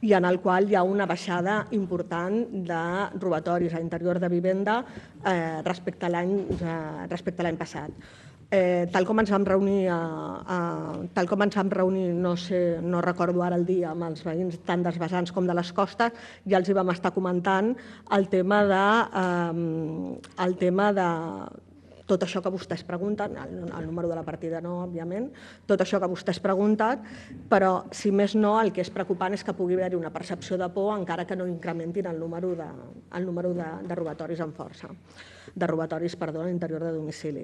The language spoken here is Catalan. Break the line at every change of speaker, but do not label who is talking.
i en el qual hi ha una baixada important de robatoris a l'interior de vivenda respecte a l'any passat. Tal com ens vam reunir, no recordo ara el dia, amb els veïns tant dels vessants com de les costes, ja els hi vam estar comentant el tema de tot això que vostès pregunten, el número de la partida no, òbviament, tot això que vostès pregunten, però, si més no, el que és preocupant és que pugui haver-hi una percepció de por encara que no incrementin el número de robatoris amb força, de robatoris, perdó, a l'interior de domicili.